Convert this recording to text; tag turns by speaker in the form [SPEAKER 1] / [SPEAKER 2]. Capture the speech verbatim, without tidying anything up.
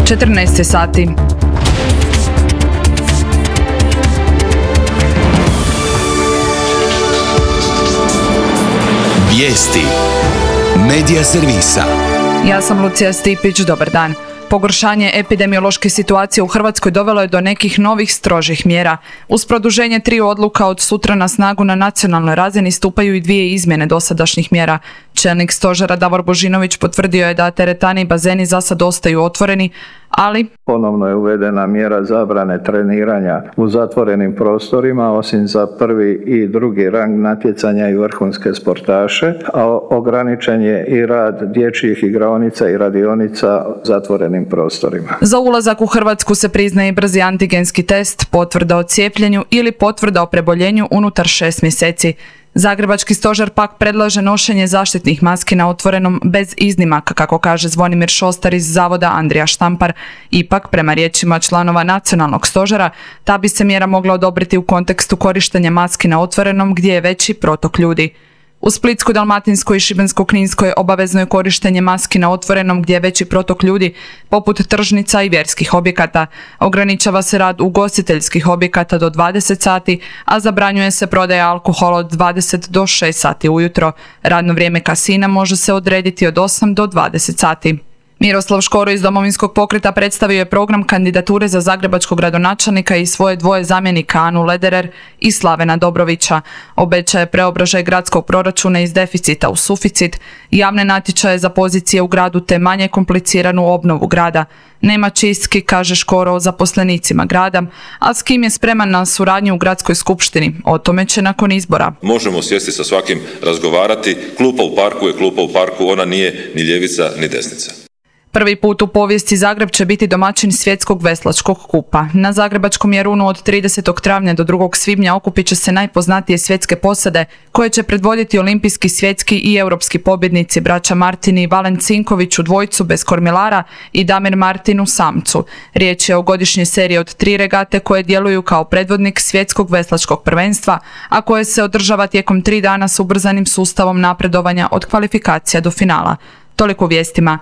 [SPEAKER 1] četrnaest sati.
[SPEAKER 2] Vijesti Medija servisa.
[SPEAKER 1] Ja sam Lucija Stipić, dobar dan. Pogoršanje epidemiološke situacije u Hrvatskoj dovelo je do nekih novih strožih mjera. Uz produženje tri odluka od sutra na snagu na nacionalnoj razini stupaju i dvije izmjene dosadašnjih mjera. Čelnik stožera Davor Božinović potvrdio je da teretani i bazeni za sad ostaju otvoreni, ali
[SPEAKER 3] ponovno je uvedena mjera zabrane treniranja u zatvorenim prostorima, osim za prvi i drugi rang natjecanja i vrhunske sportaše, a ograničen je i rad dječjih igraonica i radionica u zatvorenim prostorima.
[SPEAKER 1] Za ulazak u Hrvatsku se priznaje i brzi antigenski test, potvrda o cijepljenju ili potvrda o preboljenju unutar šest mjeseci. Zagrebački stožer pak predlaže nošenje zaštitnih maski na otvorenom bez iznimaka, kako kaže Zvonimir Šostar iz Zavoda Andrija Štampar. Ipak, prema riječima članova nacionalnog stožera, ta bi se mjera mogla odobriti u kontekstu korištenja maski na otvorenom gdje je veći protok ljudi. U Splitsko-dalmatinskoj i Šibensko-kninskoj obavezno je korištenje maski na otvorenom gdje je veći protok ljudi, poput tržnica i vjerskih objekata. Ograničava se rad ugostiteljskih objekata do dvadeset sati, a zabranjuje se prodaja alkohola od dvadeset do šest sati ujutro. Radno vrijeme kasina može se odrediti od osam do dvadeset sati. Miroslav Škoro iz Domovinskog pokreta predstavio je program kandidature za zagrebačkog gradonačelnika i svoje dvoje zamjenika Anu Lederer i Slavena Dobrovića. Obećaje preobražaj gradskog proračuna iz deficita u suficit, javne natječaje za pozicije u gradu te manje kompliciranu obnovu grada. Nema čistki, kaže Škoro, o zaposlenicima grada, a s kim je spreman na suradnju u gradskoj skupštini. O tome će nakon izbora.
[SPEAKER 4] Možemo sjesti sa svakim, razgovarati. Klupa u parku je klupa u parku, ona nije ni ljevica ni desnica.
[SPEAKER 1] Prvi put u povijesti Zagreb će biti domaćin svjetskog veslačkog kupa. Na zagrebačkom Jarunu od tridesetog travnja do drugog svibnja okupit će se najpoznatije svjetske posade koje će predvoditi olimpijski, svjetski i europski pobjednici braća Martini i Valen Cinković u dvojcu bez kormilara i Damir Martin u samcu. Riječ je o godišnjoj seriji od tri regate koje djeluju kao predvodnik svjetskog veslačkog prvenstva, a koje se održava tijekom tri dana s ubrzanim sustavom napredovanja od kvalifikacija do finala. Toliko u vijestima.